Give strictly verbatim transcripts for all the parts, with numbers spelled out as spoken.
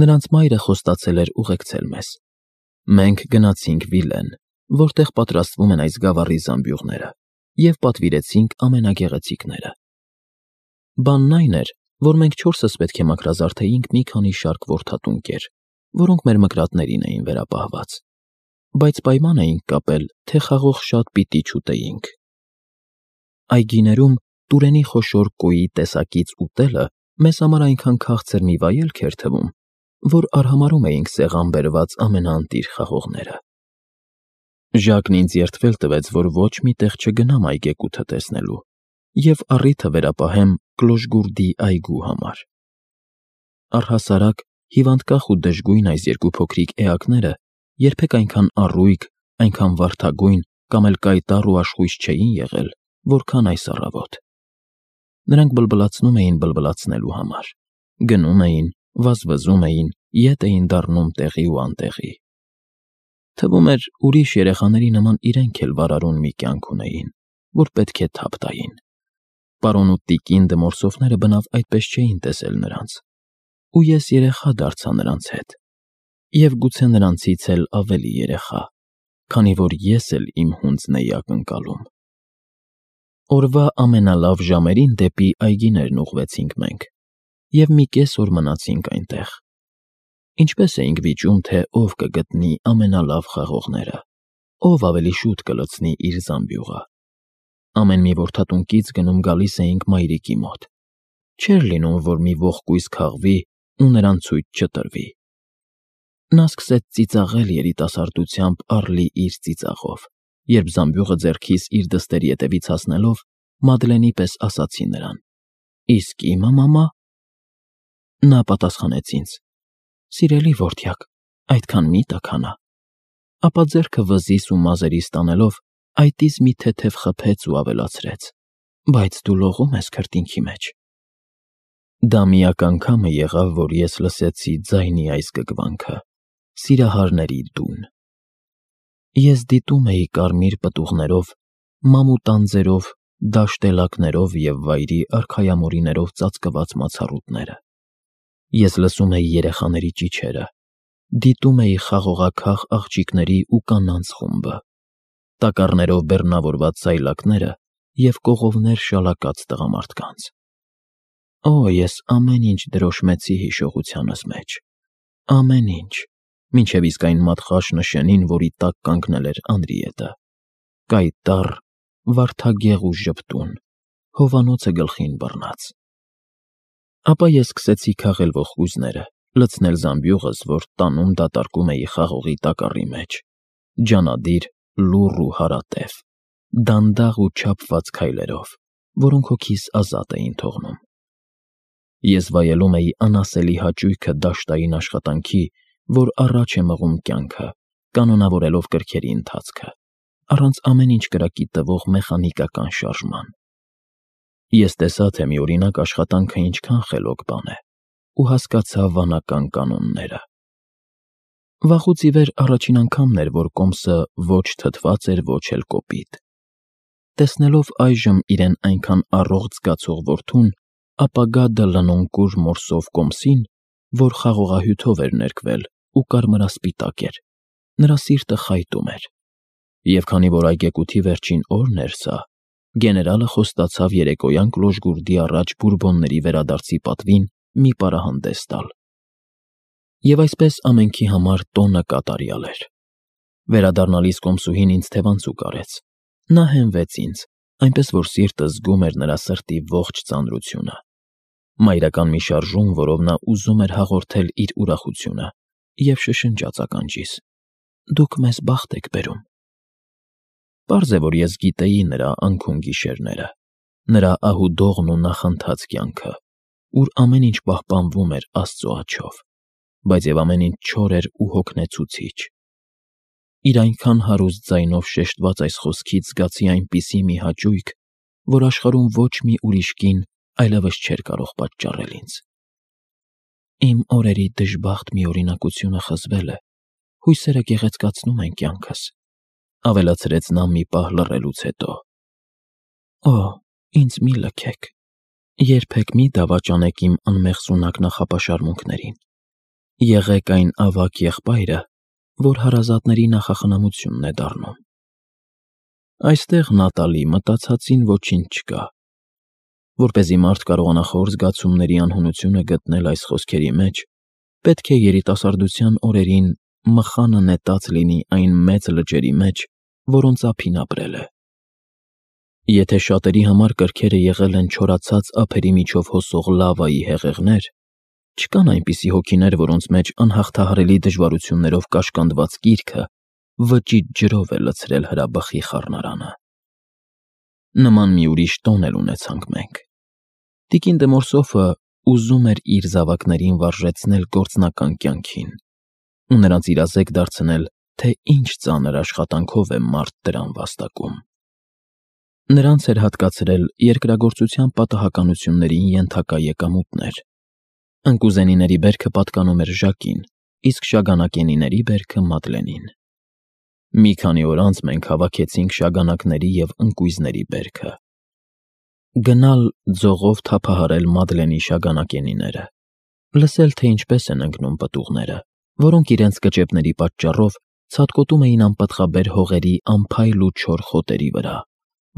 Նրանց մայրը խոստացել էր ուղեկցել մեզ։ Մենք գնացինք Վիլեն, որտեղ պատրաստվում են այս գավառի զամբյուղները, և պատվիրեցինք ամենագեղեցիկները։ Բանն այն էր, որ մենք չորսս պետք է մաքրազարդեինք մի քանի շարք որդատունկեր, որոնք մեր մկրատներին էին վերապահված, բայց պայման էինք կապել, թե խաղող շատ պիտի չուտեինք։ Այգիներում տուրենի խոշոր կոյի տեսակից ուտելը մեզ համար այնքան քաղցր մի վայելք էր թվում, որ արհամարհում էինք սեղան բերված ամենաընտիր խաղողները։ Ժակն ինձ երդվել տվեց, որ ոչ մի տեղ չգնամ այգեկութը տեսնելու և առիթը վերապահեմ Կլոժգուրդի այգու համար։ Առհասարակ, հիվանդկախ ու դժգույն այս երկու փոքրիկ էակները երբեք այնքան առույգ, այնքան վարդագույն կամ էլ կայտառ ու աշխույժ չէին եղել, որքան այս առավոտ։ Նրանք բլբլացնում էին բլբլացնելու համար, գնում էին, վազվզում էին, ետ էին դառնում տեղի ու անտեղի։ Թվում էր, ուրիշ երեխաների նման իրենք էլ վարարուն մի կյանք ունեին, որ պետք է թափ տային։ Պարոն ու տիկին դմորսոֆները բնավ այդպես չէին տեսել նրանց, ու ես երեխա դարձա նրանց հետ, և գուցե նրանցից էլ ավելի երեխա, քանի որ ես էլ իմ հունձն էի ակնկալում։ Օրվա ամենալավ ժամերին դեպի այգիներն ուղղվեցինք մենք, և մի կես օր մնացինք այնտեղ։ Ինչպես էինք վիճում, թե ով կգտնի ամենալավ խաղողները, ով ավելի շուտ կլցնի իր զամբյուղը։ Ամեն մի որդատունկից գնում գալիս էինք մայրիկի մոտ։ Չէր լինում, որ մի ողկույզ քաղվի ու նրան ցույց չտրվի։ Նա սկսեց ծիծաղել երիտասարդությամբ առլի իր ծիծաղով, երբ զամբյուղը ձեռքիս իր դստերի ետևից հասնելով, Մադլենի պես ասացի նրան. «Իսկ իմը, մամա»։ Նա պատասխանեց ինձ. «Սիրելի որդյակ, այդքան մի տաքանա»։ Ապա ձեռքը վզիս ու մազերիս տանելով, այտիս մի թեթև խփեց ու ավելացրեց. «Բայց դու լողում ես քրտինքի մեջ»։ Դա միակ անգամը եղավ, որ ես լսեցի ձայնի այս գգվանքը՝ սիրահարների դուն։ Ես դիտում էի կարմիր պտուղներով, մամուտ անձերով, դաշտ էլակներով և վայրի արքայամորիներով ծածկված մացառուտները։ Ես լսում էի երեխաների ճիչերը, դիտում էի խաղողաքաղ աղջիկների ու կանանց խումբը, տակառներով բեռնավորված սայլակները և կողովներ շալակած տղամարդկանց։ Օ, ես ամեն ինչ դրոշմեցի հիշողությանս մեջ, ամեն ինչ, մինչև իսկ այն մատխաշ նշանին, որի տակ կանգնել էր Անրիետը, կայտառ, վարդագեղ ու ժպտուն, հովանոցը գլխին բռնած։ Ապա ես սկսեցի քաղել ողկույզները, լցնել զամբյուղս, որ տանում դատարկում էի խաղողի տակառի մեջ, ջանադիր, լուռ ու հարատև, դանդաղ ու չափված քայլերով, որոնք հոգիս ազատ էին թողնում։ Ես վայելում էի անասելի հաճույքը դաշտային աշխատանքի, որ առաջ է մղում կյանքը, կանոնավորելով կրքերի ընթացքը, առանց ամեն ինչ կրակի տվող մեխանիկական շարժման։ Ես տեսա, թե միօրինակ աշխատանքը ինչքան խելոք բան է, ու հասկացա վանական կանոնները։ Վաղուց ի վեր առաջին անգամն էր, որ կոմսը ոչ թթված էր, ոչ էլ կոպիտ։ Տեսնելով այժմ իրեն այնքան առողջ զգացող որդուն, ապագա դլնոնկուր մորսով կոմսին, որ խաղողահյութով էր ներկվել ու կարմրասպիտակ էր, նրա սիրտը խայտում էր։ Եվ քանի որ այգեկութի վերջին օրն էր սա, գեներալը խոստացավ երեկոյան Կլոժգուրդի առաջ բուրբոնների վերադարձի պատվին մի պարահանդես տալ։ Եվ այսպես ամենքի համար տոնը կատարյալ էր։ Վերադառնալիս կոմսուհին ինձ թևանցուկ արեց։ Նա հենվեց ինձ, այնպես որ սիրտը զգում էր նրա սրտի ողջ ծանրությունը։ Մայրական մի շարժում, որով նա ուզում էր հաղորդել իր ուրախությունը, և շշնջաց ականջիս. «Դուք մեզ բախտ եք բերում»։ Պարզ է, որ ես գիտեի նրա անքուն գիշերները, նրա ահուդողն ու նախընթաց կյանքը, ուր ամեն ինչ պահպանվում էր Աստծո աջով, բայց և ամեն ինչ չոր էր ու հոգնեցուցիչ։ Իր այնքան հարուստ ձայնով շեշտված այս խոսքից զգացի այնպիսի մի հաճույք, որ աշխարհում ոչ մի ուրիշ կին այլևս չէր կարող պատճառել ինձ։ Իմ օրերի դժբախտ միօրինակությունը խզվել է, հույսերը գեղեցկացնում են կյանքս, ավելացրեց նա մի պահ լռելուց հետո։ Օ, ինձ մի լքեք, երբեք մի դավաճանեք իմ անմեղսունակ նախապաշարմունքներին։ Եղեք այն ավագ եղբայրը, որ հարազատների նախախնամությունն է դառնում։ Այստեղ Նատալի մտածածին ոչինչ չկա։ Որպեսզի մարդ կարողանա խոր զգացումների անհունությունը գտնել այս խոսքերի մեջ, պետք է երիտասարդության օրերին մխանը նետած լինի այն մեծ լճերի մեջ, որոնց ափին ապրել է։ Եթե շատերի համար կրքերը եղել են չորացած ափերի միջով հոսող լավայի հեղեղներ, չկան այնպիսի հոգիներ, որոնց մեջ անհաղթահարելի դժվարություններով կաշկանդված գիրքը վճիտ ջրով է լցրել հրաբխի խառնարանը։ Նման մի ուրիշ տոն էլ ունեցանք մենք։ Տիկին դե Մորսոֆը ուզում էր իր զավակներին վարժեցնել գործնական կյանքին ու նրանց իրազեկ դարձնել, թե ինչ ծանր աշխատանքով է մարդ դրան վաստակում։ Նրանց էր հատկացրել երկրագործության պատահականություններին ենթակա եկամուտներ։ Ընկուզենիների բերքը պատկանում էր Ժակին, իսկ շագանակենիների բերքը Մադլենին։ Մի քանի օր անց մենք հավաքեցինք շագանակների և ընկույզների բերքը։ Գնալ ձողով թափահարել Մադլենի շագանակենիները, լսել, թե ինչպես են ընկնում պտուղները, որոնք իրենց կճեպների պատճառով ցատկոտում էին անպտղաբեր հողերի անփայլ ու չոր խոտերի վրա,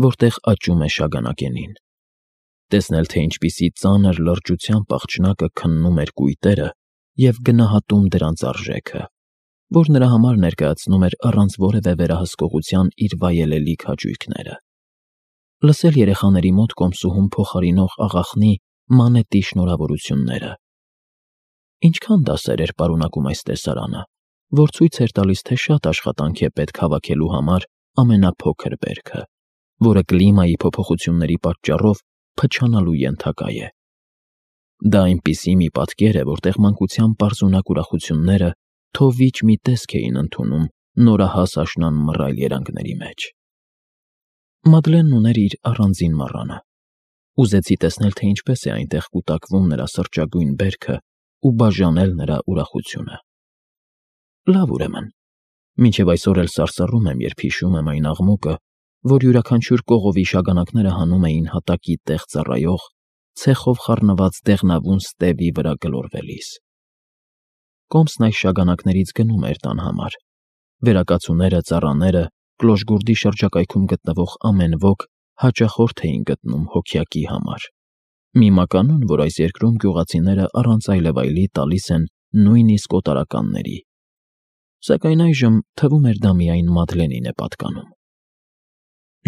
որտեղ աճում է շագանակենին, տեսնել, թե ինչպիսի ծանր լրջությամբ աղջնակը քննում էր կույտերը և գնահատում դրանց արժեքը, որ նրա համար ներկայացնում էր առանց որևէ վերահսկողության իր վայելելի քաջույքները, լսել երեխաների մոտ կոմսուհուն փոխարինող աղախնի մանետի շնորհավորությունները։ Ինչքան դասեր էր պարունակում այս տեսարանը, որ ցույց էր տալիս, թե շատ աշխատանք է պետք հավաքելու համար ամենափոքր բերքը, որը կլիմայի փոփոխությունների պատճառով փչանալու ենթակա է։ Դա այնպիսի մի պատկեր է, որտեղ մանկության պարզունակ ուրախությունները թովիչ մի տեսք էին ընդունում նորահաս աշնան մռայլ երանգների մեջ։ Մադլենն ուներ իր առանձին մառանը։ Ուզեցի տեսնել, թե ինչպես է այնտեղ կուտակվում նրա սրճագույն բերքը ու բաժանել նրա ուրախությունը։ Լավ, ուրեմն, մինչև այսօր էլ սարսռում եմ, երբ հիշում եմ այն աղմուկը, որ յուրաքանչյուր կողովի շագանակները հանում էին հատակի տեղ ծառայող, ցեխով խառնված դեղնավուն ստևի վրա գլորվելիս։ Կոմսն այս շագանակներից գնում էր տան համար։ Վերակացուները, ծառաները, Կլոշգուրդի շրջակայքում գտնվող ամեն ոք հաճախորդ էին գտնում հոգյակի համար։ Մի մականուն, որ այս երկրում գյուղացիները առանց այլևայլի տալիս են նույնիսկ օտարականների։ Սակայն այժմ թվում էր դա միայն Մադլենին է պատկանում։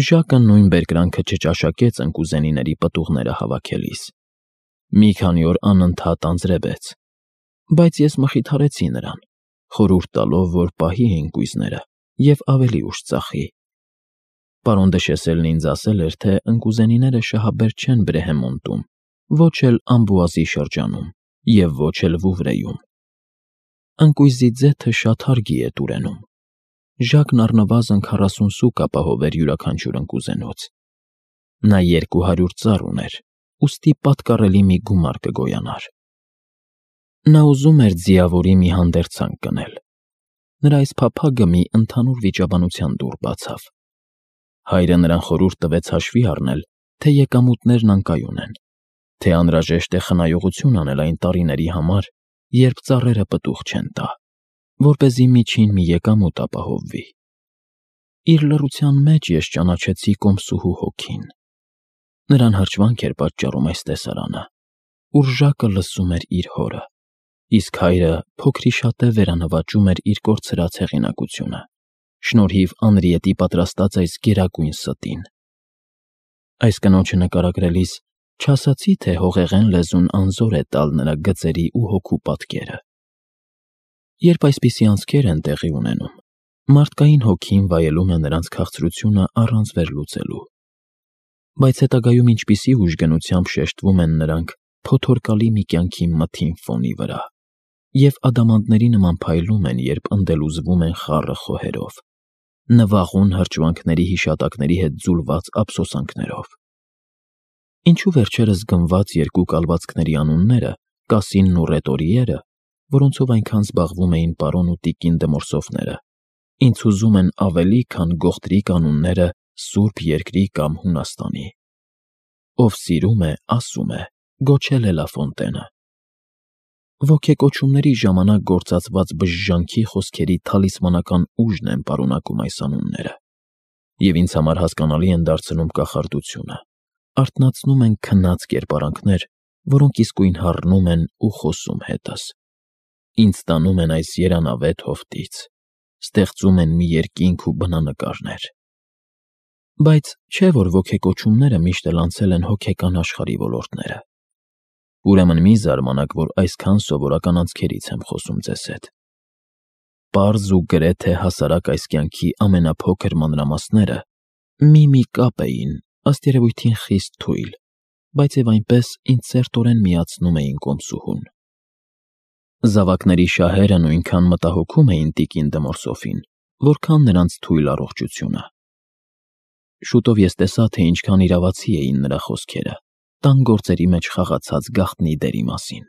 Ժակը նույն բերկրանքը չճաշակեց ընկուզենիների պտուղները հավաքելիս։ Մի քանի օր անընդհատ անձրևեց, բայց ես մխիթարեցի նրան, խորհուրդ տալով, որ պահի ընկույզները և ավելի ուշ ծախի։ Պարոն դը Շեսելն ինձ ասել էր, թե ընկուզենիները շահաբեր չեն Բրեհեմոնտում, ոչ էլ Ամբուազի շրջանում և ոչ էլ Վուվրեում։ Ընկույզի ձեթը շատ հարգի է Տուրենում։ Ժակն առնվազն քառասուն սուկ ապահով էր յուրաքանչյուր ընկուզենուց։ Նա երկու հարյուր ծառ ուներ, ուստի պատկառելի մի գումար կգոյանար։ Նա ուզում էր ձիավորի մի հանդերձանք կնել։ Նրա այս փափագը մի ընդհանուր վիճաբանության դուռ բացավ։ Հայրը նրան խորհուրդ տվեց հաշվի առնել, թե եկամուտներն անկայուն են, թե անհրաժեշտ է խնայողություն անել այն տարիների համար, երբ ծառերը պտուղ չեն տա, որպեսզի միջին մի եկամուտ ապահովվի։ Իր լռության մեջ ես ճանաչեցի կոմսուհու հոգին։ Նրան հրճվանք էր պատճառում այս տեսարանը, ուր Ժակը լսում էր իր հորը, իսկ հայրը փոքրիշատե վերանվաճում էր իր կորցրած հեղինակությունը, շնորհիվ Անրիետի պատրաստած այս գերագույն ստին։ Այս կնոջը նկարագրելիս չասացի, թե հողեղեն լեզուն անզոր է տալ նրա գծերի ու հոգու պատկերը։ Երբ այսպիսի անցքեր են տեղի ունենում, մարդկային հոգին վայելում է նրանց քաղցրությունը առանց վերլուծելու։ Բայց հետագայում ինչպիսի ուժգնությամբ շեշտվում են նրանք փոթորկալի մի կյանքի մթին ֆոնի վրա, և ադամանդների նման փայլում են, երբ ընդելուզվում են խառը խոհերով, նվաղուն հրճվանքների հիշատակների հետ ձուլված ափսոսանքներով։ Ինչու վերջերս գնված երկու կալվածքների անունները՝ Կասինն ու Ռետորիերը, որոնցով այնքան զբաղվում էին պարոն ու տիկին դը Մորսոֆները, ինձ հուզում են ավելի, քան գողտրիկ անունները Սուրբ Երկրի կամ Հունաստանի։ Ով սիրում է, ասում է, գոչել է Լաֆոնտենը։ Ոգեկոչումների ժամանակ գործածված բժժանքի խոսքերի թալիսմանական ուժն են պարունակում այս անունները, և ինձ համար հասկանալի են դարձնում կախարդությունը, արթնացնում են քնած կերպարանքներ, որոնք իսկույն հառնում են ու խոսում հետս, ինձ տանում են այս երանավետ հովտից, ստեղծում են մի երկինք ու բնանկարներ։ Բայց չէ՞ որ ոգեկոչումները միշտ էլ անցել են հոգեկան աշխարհի ոլորտները։ Ուրեմն մի զարմանաք, որ այսքան սովորական անցքերից եմ խոսում ձեզ հետ։ Պարզ ու գրեթե հասարակ այս կյանքի ամենափոքր մանրամասները մի-մի կապ էին, ըստ երևույթին խիստ թույլ, բայց և այնպես ինձ սերտորեն միացնում էին կոմսուհուն։ Զավակների շահերը նույնքան մտահոգում էին տիկին Դմորսոֆին, որքան նրանց թույլ առողջությունը։ Շուտով ես տեսա, թե ինչքան իրավացի էին նրա խոսքերը, տան գործերի մեջ խաղացած գաղտնի դերի մասին։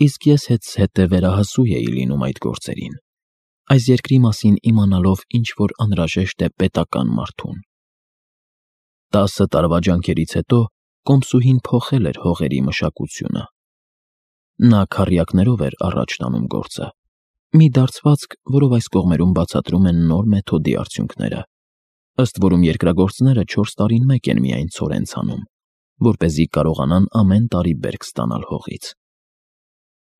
Իսկ ես հետզհետե վերահասու էի լինում այդ գործերին, այս երկրի մասին իմանալով ինչ-որ անհրաժեշտ է պետական մարդուն։ Տասը տարվա ջանքերից հետո կոմսուհին փոխել էր հողերի մշակությունը։ Նա քառյակներով էր առաջ տանում գործը, մի դարձվածք, որով այս կողմերում բացատրում են նոր մեթոդի արդյունքները, ըստ որում երկրագործները չորս տարին մեկ են միայն ցորեն ցանում, որպեսզի կարողանան ամեն տարի բերք ստանալ հողից։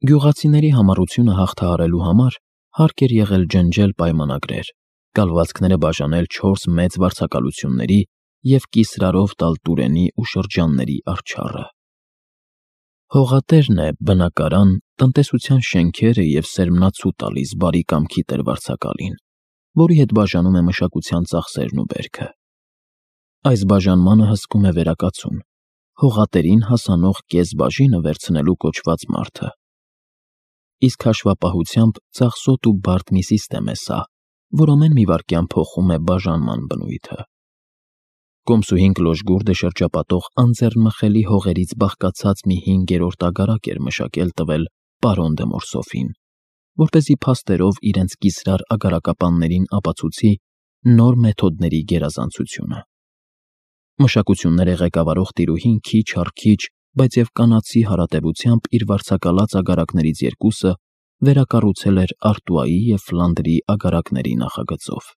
Գյուղացիների համառությունը հաղթահարելու համար հարկ էր եղել ջնջել պայմանագրեր, կալվածքները բաժանել չորս մեծ վարձակալությունների և կիսրարով տալ տուրենի ու շրջանների արդչառը։ Հողատերն է բնակարան, տնտեսության շենքերը և սերմնացու տալիս բարի կամքի տեր֊վարձակալին, որի հետ բաժանում է մշակության ծախսերն ու բերքը։ Այս բաժանմանը հսկում է վերակացուն, հողատերին հասանող կեսբաժինը վերցնելու կոչված մարդը։ Իսկ հաշվապահությամբ ծախսոտ ու բարդ մի սիստեմ է սա, որ ամեն մի վայրկյան փոխում է բաժանման բնույթը։ Կոմսուհին Կլոժգուրդը շրջապատող անձեռնմխելի հողերից բաղկացած մի հինգերորդ ագարակ էր մշակել տվել պարոն Դմորսոֆին, որպեսզի փաստերով իրենց կիսրար ագարակապաններին ապացուցի նոր մեթոդների գերազանցությունը։ Մշակությունները ղեկավարող տիրուհին քիչ առ քիչ, բայց և կանացի հարատևությամբ իր վարձակալած ագարակներից երկուսը վերակառուցել էր Արտուայի և Ֆլանդրի ագարակների նախագծով։